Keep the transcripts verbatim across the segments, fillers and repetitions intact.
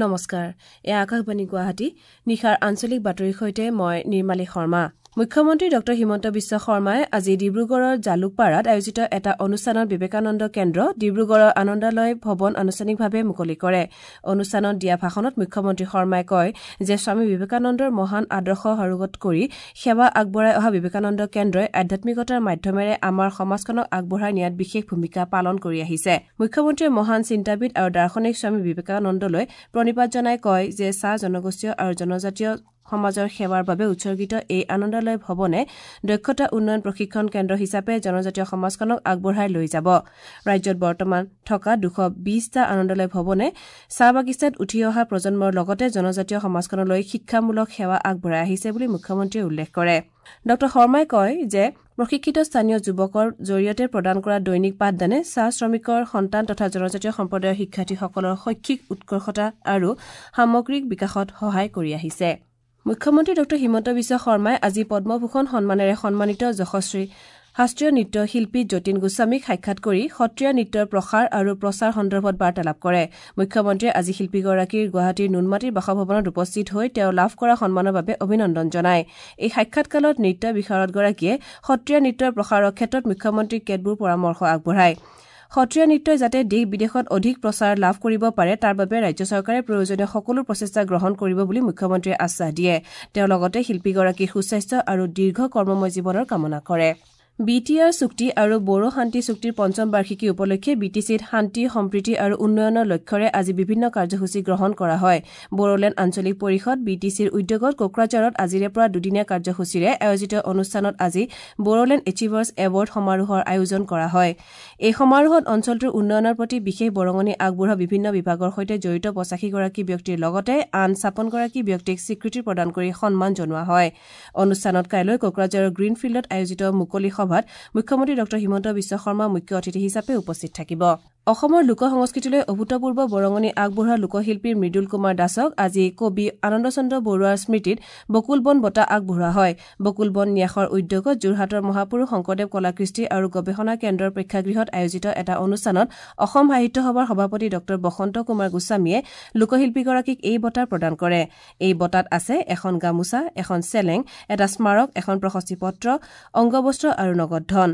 নমস্কাৰ, এয়া আকাশবাণী গুৱাহাটী। নিশাৰ আঞ্চলিক বাতৰিৰ সৈতে মই নিৰ্মালী শৰ্মা। মুখ্যমন্ত্ৰী ডঃ হিমন্ত বিশ্ব শৰ্মাই আজি ডিব্ৰুগড়ৰ জালুকপাৰাত আয়োজিত এটা অনুষ্ঠানত বিবেকানন্দ কেন্দ্ৰ ডিব্ৰুগড়ৰ আনন্দালয় ভৱন আনুষ্ঠানিকভাৱে মুকলি কৰে। অনুষ্ঠানত দিয়া ভাষণত মুখ্যমন্ত্ৰী শৰ্মাই কয় যে স্বামী বিবেকানন্দৰ মহান আদৰ্শ সাৰোগত কৰি সেৱা আগবঢ়াই অহা বিবেকানন্দ কেন্দ্ৰই আধ্যাত্মিকতাৰ মাধ্যমেৰে আমাৰ সমাজখনক আগবঢ়াই নিয়াত বিশেষ ভূমিকা পালন কৰি আহিছে। মুখ্যমন্ত্ৰীয়ে মহান চিন্তাবিদ আৰু দাৰ্শনিক স্বামী বিবেকানন্দলৈ প্ৰণিপাত জনাই কয় যে চাহ জনগোষ্ঠীয় আৰু জনজাতীয় সমাজৰ সেৱাৰ বাবে উৎসৰ্গিত এই আনন্দালয় ভৱনে দক্ষতা উন্নয়ন প্ৰশিক্ষণ কেন্দ্ৰ হিচাপে জনজাতীয় সমাজখনক আগবঢ়াই লৈ যাব। ৰাজ্যত বৰ্তমান থকা দুশ বিশটা আনন্দালয় ভৱনে চাহ বাগিচাত উঠি অহা প্ৰজন্মৰ লগতে জনজাতীয় সমাজখনলৈ শিক্ষামূলক সেৱা আগবঢ়াই আহিছে বুলি মুখ্যমন্ত্ৰীয়ে উল্লেখ কৰে। ডঃ শৰ্মাই কয় যে প্ৰশিক্ষিত স্থানীয় যুৱকৰ জৰিয়তে প্ৰদান কৰা দৈনিক পাঠদানে চাহ শ্ৰমিকৰ সন্তান তথা জনজাতীয় সম্প্ৰদায়ৰ শিক্ষাৰ্থীসকলৰ শৈক্ষিক উৎকৰ্ষতা আৰু সামগ্ৰিক বিকাশত সহায় কৰি আহিছে। মুখ্যমন্ত্ৰী ডঃ হিমন্ত বিশ্ব শৰ্মাই আজি পদ্মভূষণ সন্মানেৰে সন্মানিত যশস্বী শাস্ত্ৰীয় নৃত্য শিল্পী যতীন গোস্বামীক সাক্ষাৎ কৰি সত্ৰীয়া নৃত্যৰ প্ৰসাৰ আৰু প্ৰচাৰ সন্দৰ্ভত বাৰ্তালাপ কৰে। মুখ্যমন্ত্ৰীয়ে আজি শিল্পীগৰাকীৰ গুৱাহাটীৰ নুনমাটিৰ বাসভৱনত উপস্থিত হৈ তেওঁ লাভ কৰা সন্মানৰ বাবে অভিনন্দন জনায়। এই সাক্ষাৎকালত নৃত্য বিশাৰদগৰাকীয়ে সত্ৰীয়া নৃত্যৰ প্ৰসাৰৰ ক্ষেত্ৰত মুখ্যমন্ত্ৰীক কেতবোৰ পৰামৰ্শ আগবঢ়ায়। সত্ৰীয়া নৃত্যই যাতে দেশ বিদেশত অধিক প্ৰচাৰ লাভ কৰিব পাৰে তাৰ বাবে ৰাজ্য চৰকাৰে প্ৰয়োজনীয় সকলো প্ৰচেষ্টা গ্ৰহণ কৰিব বুলি মুখ্যমন্ত্ৰীয়ে আশ্বাস দিয়ে। তেওঁ লগতে শিল্পীগৰাকীৰ সুস্বাস্থ্য আৰু দীৰ্ঘ কৰ্মময় জীৱনৰ কামনা কৰে। বি টি আৰ চুক্তি আৰু বড়ো শান্তি চুক্তিৰ পঞ্চম বাৰ্ষিকী উপলক্ষে বি টি চিত শান্তি, সম্প্ৰীতি আৰু উন্নয়নৰ লক্ষ্যৰে আজি বিভিন্ন কাৰ্যসূচী গ্ৰহণ কৰা হয়। বড়োলেণ্ড আঞ্চলিক পৰিষদ বি টি চিৰ উদ্যোগত কোকৰাঝাৰত আজিৰে পৰা দুদিনীয়া কাৰ্যসূচীৰে আয়োজিত অনুষ্ঠানত আজি বড়োলেণ্ড এচিভাৰ্ছ এৱাৰ্ড সমাৰোহৰ আয়োজন কৰা হয়। এই সমাৰোহত অঞ্চলটোৰ উন্নয়নৰ প্ৰতি বিশেষ বৰঙণি আগবঢ়োৱা বিভিন্ন বিভাগৰ সৈতে জড়িত পঁচাশীগৰাকী ব্যক্তিৰ লগতে আন ছাপন্নগৰাকী ব্যক্তিক স্বীকৃতি প্ৰদান কৰি সন্মান জনোৱা হয়। অনুষ্ঠানত কাইলৈ কোকৰাঝাৰৰ গ্ৰীণফিল্ডত আয়োজিত মুকলি সভাত মুখ্যমন্ত্ৰী ডঃ হিমন্ত বিশ্ব শৰ্মা মুখ্য অতিথি হিচাপে উপস্থিত থাকিব। অসমৰ লোক সংস্কৃতিলৈ অভূতপূৰ্ব বৰঙণি আগবঢ়োৱা লোকশিল্পী মৃদুল কুমাৰ দাসক আজি কবি আনন্দচন্দ্ৰ বৰুৱাৰ স্মৃতিত বকুল বন বঁটা আগবঢ়োৱা হয়। বকুল বন ন্যাসৰ উদ্যোগত যোৰহাটৰ মহাপুৰুষ শংকৰদেৱ কলাকৃষ্টি আৰু গৱেষণা কেন্দ্ৰৰ প্ৰেক্ষাগৃহত আয়োজিত এটা অনুষ্ঠানত অসম সাহিত্য সভাৰ সভাপতি ডঃ বসন্ত কুমাৰ গোস্বামীয়ে লোকশিল্পীগৰাকীক এই বঁটা প্ৰদান কৰে। এই বঁটাত আছে এখন গামোচা, এখন চেলেং, এটা স্মাৰক, এখন প্ৰশস্তি পত্ৰ, অংগবস্ত্ৰ আৰু নগদ ধন।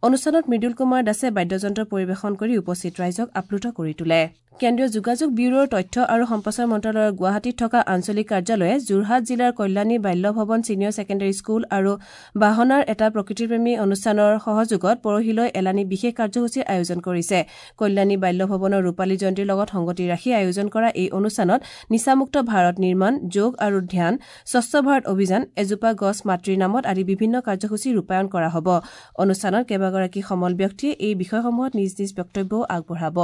অনুষ্ঠানত মৃদুল কুমাৰ দাসে বাদ্যযন্ত্ৰ পৰিৱেশন কৰি উপস্থিত ৰাইজক আপ্লুত কৰি তোলে। কেন্দ্ৰীয় যোগাযোগ ব্যুৰোৰ তথ্য আৰু সম্প্ৰচাৰ মন্ত্ৰালয়ৰ গুৱাহাটীত থকা আঞ্চলিক কাৰ্যালয়ে যোৰহাট জিলাৰ কল্যাণী বাল্য ভৱন ছিনিয়ৰ ছেকেণ্ডাৰী স্কুল আৰু বাহনাৰ এটা প্ৰকৃতিপ্ৰেমী অনুষ্ঠানৰ সহযোগত পৰহিলৈ এলানি বিশেষ কাৰ্যসূচীৰ আয়োজন কৰিছে। কল্যাণী বাল্য ভৱনৰ ৰূপালী জয়ন্তীৰ লগত সংগতি ৰাখি আয়োজন কৰা এই অনুষ্ঠানত নিচামুক্ত ভাৰত নিৰ্মাণ, যোগ আৰু ধ্যান, স্বচ্ছ ভাৰত অভিযান, এজোপা গছ মাতৃৰ নামত আদি বিভিন্ন কাৰ্যসূচী ৰূপায়ণ কৰা হ'ব। অনুষ্ঠানত কেইবাগৰাকী সমল ব্যক্তিয়ে এই বিষয়সমূহত নিজ নিজ বক্তব্যও আগবঢ়াব।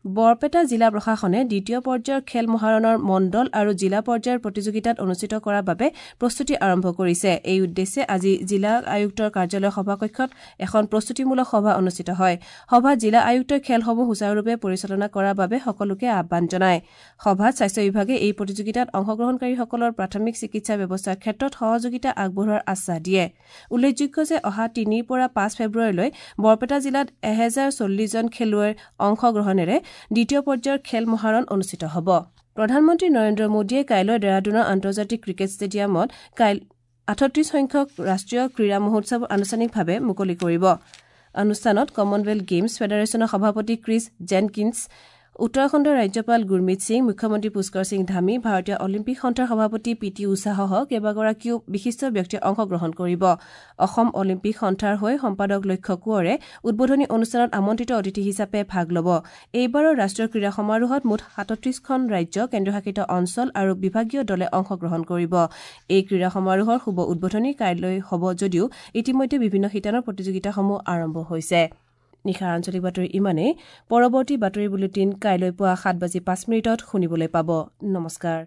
বৰপেটা জিলা প্ৰশাসনে দ্বিতীয় পৰ্যায়ৰ খেল মহাৰণৰ মণ্ডল আৰু জিলা পৰ্যায়ৰ প্ৰতিযোগিতাত অনুষ্ঠিত কৰাৰ বাবে প্ৰস্তুতি আৰম্ভ কৰিছে। এই উদ্দেশ্যে আজি জিলা আয়ুক্তৰ কাৰ্যালয়ৰ সভাকক্ষত এখন প্ৰস্তুতিমূলক সভা অনুষ্ঠিত হয়। সভাত জিলা আয়ুক্তই খেলসমূহ সুচাৰুৰূপে পৰিচালনা কৰাৰ বাবে সকলোকে আহ্বান জনায়। সভাত স্বাস্থ্য বিভাগে এই প্ৰতিযোগিতাত অংশগ্ৰহণকাৰীসকলৰ প্ৰাথমিক চিকিৎসা ব্যৱস্থাৰ ক্ষেত্ৰত সহযোগিতা আগবঢ়োৱাৰ আশ্বাস দিয়ে। উল্লেখযোগ্য যে অহা তিনিৰ পৰা পাঁচ ফেব্ৰুৱাৰীলৈ বৰপেটা জিলাত এহেজাৰ চল্লিছজন খেলুৱৈৰ অংশগ্ৰহণেৰে দ্বিতীয় পৰ্যায়ৰ খেল মহাৰণ অনুষ্ঠিত হ'ব। প্ৰধানমন্ত্ৰী নৰেন্দ্ৰ মোদীয়ে কাইলৈ ডেৰাডুনৰ আন্তৰ্জাতিক ক্ৰিকেট ষ্টেডিয়ামত আঠত্ৰিশ সংখ্যক ৰাষ্ট্ৰীয় ক্ৰীড়া মহোৎসৱ আনুষ্ঠানিকভাৱে মুকলি কৰিব। অনুষ্ঠানত কমনৱেলথ গেমছ ফেডাৰেশ্যনৰ সভাপতি ক্ৰিছ জেনকিন্স, উত্তৰাখণ্ডৰ ৰাজ্যপাল গুৰমিত সিং, মুখ্যমন্ত্ৰী পুষ্কৰ সিং ধামী, ভাৰতীয় অলিম্পিক সন্থাৰ সভাপতি পি টি উষাসহ কেইবাগৰাকীও বিশিষ্ট ব্যক্তিয়ে অংশগ্ৰহণ কৰিব। অসম অলিম্পিক সন্থাৰ হৈ সম্পাদক লক্ষ্য কোঁৱৰে উদ্বোধনী অনুষ্ঠানত আমন্ত্ৰিত অতিথি হিচাপে ভাগ ল'ব। এইবাৰৰ ৰাষ্ট্ৰীয় ক্ৰীড়া সমাৰোহত মুঠ সাতত্ৰিশখন ৰাজ্য, কেন্দ্ৰীয়শাসিত অঞ্চল আৰু বিভাগীয় দলে অংশগ্ৰহণ কৰিব। এই ক্ৰীড়া সমাৰোহৰ শুভ উদ্বোধনী কাইলৈ হ'ব যদিও ইতিমধ্যে বিভিন্ন শিতানৰ প্ৰতিযোগিতাসমূহ আৰম্ভ হৈছে। নিশাৰ আঞ্চলিক বাতৰি ইমানেই। পৰৱৰ্তী বাতৰি বুলেটিন কাইলৈ পুৱা সাত বাজি পাঁচ মিনিটত শুনিবলৈ পাব। নমস্কাৰ।